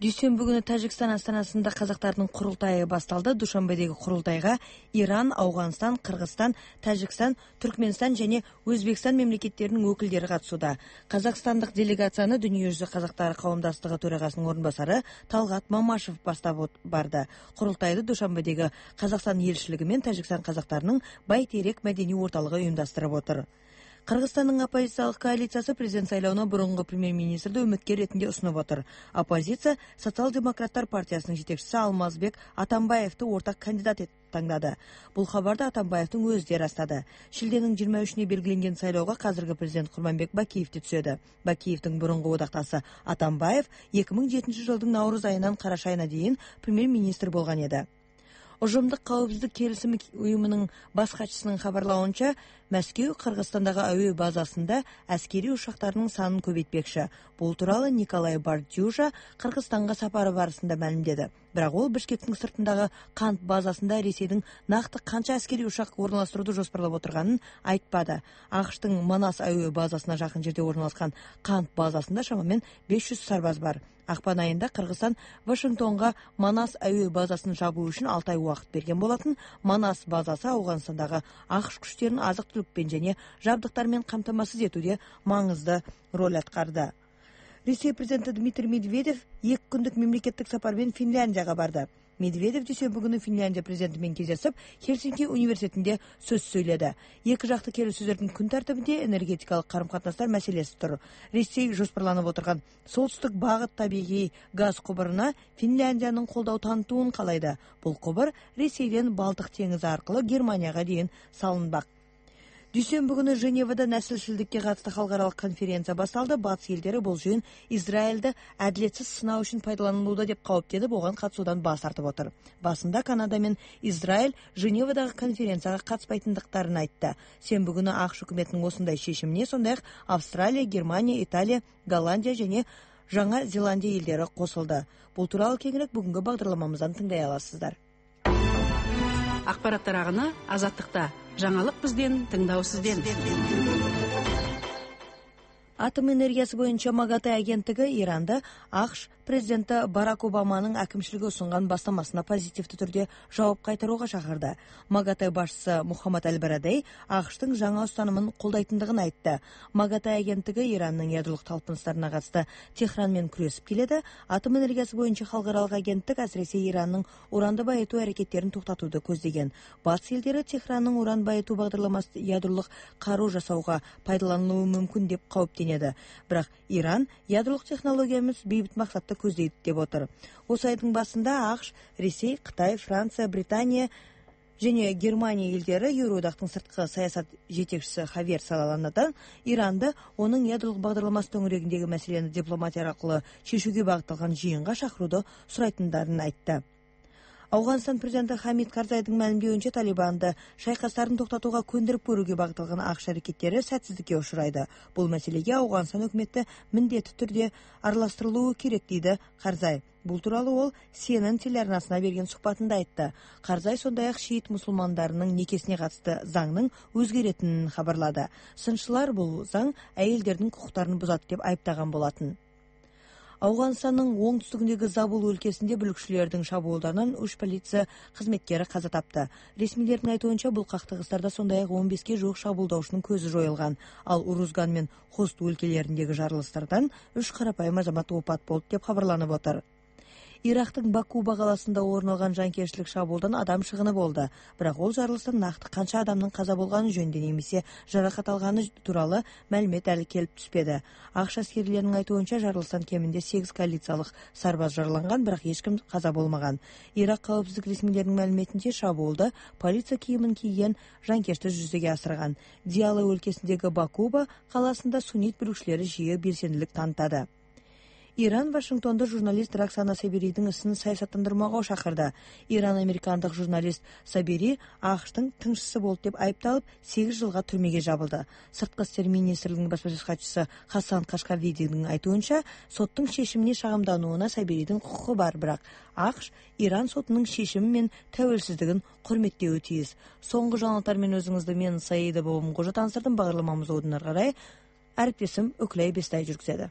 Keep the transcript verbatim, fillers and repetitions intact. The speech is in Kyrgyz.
Дүйсөнбү күнү Тажикстан астанасында казактардын курултайы башталды. Душанбедеги курултайга Иран, Ауганстан, Кыргызстан, Тажикстан, Түркмөнстан жана Өзбекстан мемлекеттеринин өкүлдөрү катышууда. Казакстандык делегацияны Дүнүйө жүзү казактары коомдоштугу төрагасынын орун басары Талгат Мамашев баштап барды. Курултайды Душанбедеги Казакстан элчилиги менен Тажикстан казактарынын Байтерек мәдәни орталыгы уюмдаштырып отур. Кыргызстандын оппозициялык коалициясы президент шайлооуна бурунку премьер-министрди үмүткер ретинде сунуп отур. Оппозиция Социал-демократтар партиясынын жетекчиси Алмазбек Атамбаевди ортак кандидат этип тандады. Бул кабарды Атамбаевдин өзү да ырастады. Шилденин жыйырма үчүнө белгиленген шайлоого казыркы президент Курманбек Бакиевди түзөдү. Бакиевдин бурунку убакташы Атамбаев эки миң жетинчи жылдын наурыз айынан караш айына чейин премьер-министр болгон эди. Ожомдук каапсыздык келисими уюмунун баш катчысынын кабарлауынча, Мәскеу Кыргызстандагы абий базасында аскери учактарынын санын көбөйтпекчи. Бул тууралуу Николай Бардюжа Кыргызстанга сапары барысында маалимдеди. Бирок ол Бишкектин сыртындагы Кант базасында Ресейдин накты канча аскери учак орналаштырууду жоспарлап отурганын айтпады. АКШтын Манас абий базасына жакын жерде орналашкан Кант базасында шамамен беш жүз сарбаз бар. Акпан айында Кыргызстан Вашингтонго Манас абий базасын жабуу үчүн алты ай убакыт берген болотун. Манас базасы Ауганстандагы АКШ күчтөрүнүн азык-түлүкпен жана жабдыктар менен камтамасыз этүүдө маңызды роль аткарды. Ресей президенти Дмитрий Медведев эки күндүк мемлекеттик сапар менен Финляндияга барды. Медведев дүйсөнбү күнү Финляндия президенти менен кездешип, Хельсинки университетинде сөз сүйлөдү. Эки жакты келиссөздөрдүн күн тартибинде энергетикалык карым-катнаштар маселеси тур. Ресей жоспарланып отурган солтүстүк багыт табигый газ кубуруна Финляндиянын колдоо танытуун каалайды. Бул кубур Ресейден Балтык деңизи аркылуу Германияга чейин салынбак. Дүйсөнбү күнү Женевада наслшилдикке катысты халыкаралык конференция башталды. Батыш элдери бул жыйын Израилди адилетсиз сыноо үчүн пайдаланылууда деп кооптенип, ого катышуудан баш тартып отур. Басында Канада менен Израиль Женевадагы конференцияга катышпайтындыктарын айтты. Сенбү күнү АКШ өкмөтүнүн осундай чечимине сондай-ак Австралия, Германия, Италия, Голландия жана Жаңа Зеландия элдери кошулду. Бул тууралуу кеңирээк бүгүнкү багдарламамыздан тыңдай аласыздар. Акпараттар агыны Азаттыкта. Жаңалык бизден, тыңдоо сизден. Атом энергиясы боюнча МАГАТЭ агенттиги Иранда АКШ президенти Барак Обаманын акимчилиги сунган бастамасына позитивдүү түрдө жооп кайтарууга чакырды. МАГАТЭ башчысы Мухаммад Аль-Барадей АКШтын жаңа устанымын колдойтундугун айтты. МАГАТЭ агенттиги Ирандын ядролук талпыныштарына катысты Техран менен күрөшүп келеді. Атом энергиясы боюнча халыкаралык агенттик асыресе Иранның уранды байытуу аракеттерин токтотууду көздөгөн. Батыш элдери Техрандын уран байытуу багдарламасы ядролук каруу жасауга пайдаланылуу мүмкүн деп кооптенет. Бирок Иран ядролук технологиямыз бейбит максатты көздөйт деп отур. Осы айдын басында АКШ, Ресей, Кытай, Франция, Британия және Германия элдери Евроодактын сырткы саясат жетекчиси Хавьер Салаланадан Иранды онун ядролук багдарламасы төңүрөгүндөгү маселени дипломатия аркылуу чечүүгө багытталган жыйынга чакырууду сурайтындарын айтты. Ауганстан президенти Хамид Карзайдын маалимдеуинче Талибанды шайкастарын токтотууга көндүрүп көрүүгө багытталган АКШ аракеттери сәтсиздикке учурайды. Бул маселеге Ауганстан өкмөтү міндетті түрдө аралаштырылуу керек дейди Карзай. Бул тууралуу ол Си Эн Эн телеарнасына берген сухбатында айтты. Карзай сондай-ак шиит мусулмандарынын некесине катысты заңдын өзгөретинин кабарлады. Сынчылар бул заң айылдердин укуктарын бузат деп айыптаган болотун. Ауганстандын оңтүстүгүндөгү Забул өлкесинде бүлүкчүлөрдүн шабуулдарынан үч полиция кызметкери каза тапты. Ресмилердин айтуунча бул кактыгыстарда сондай-ак он беске жуук шабуулдаушунун көзү жоюлган. Ал Урузган менен Хост өлкелериндеги жарылыштардан үч карапайым азамат опат болду деп кабарланып отур. Ирактын Бакуба каласында орун алган жанкечтилик шабуулдан адам чыгыны болду. Бирок ол жарылыштан накты канча адамдын каза болгону жөнүндө немесе жаракат алганы тууралуу маалимет али келип түспөдү. АКШ аскерлеринин айтуунча жарылыштан кеминде сегиз коалициялык сарбаз жараланган, бирок эч ким каза болмаган. Ирак каапсыздык ресмилеринин маалиметинче шабуулду полиция кийимин кийген жанкечтер жүзөгө асырган. Диала өлкесиндеги Бакуба каласында суннит бүлүкчүлөрү жыйы белсендилик танытады. Иран Вашингтонда журналист Роксана Сабиридин исин саясаттандырмага чакырды. Иран американдык журналист Сабири АКШтын тыңчысы болуп деп айыпталып, сегиз жылга түрмөгө жабылды. Сырткы иштер министрлигинин баспасөз катчысы Хасан Кашкардидин айтуунча, соттун чечимине шагымданууна Сабиридин укугу бар, бирок АКШ Иран сотунун чечими менен тәуелсиздигин көрмөттөөгө тийиз. Соңку жаңылыктар менен өзүңүздү мен Саида Бобом кожо тандырдым. Багдарламамызды оодун ары карай әріптесім Өкілай Бестай жүргізеді.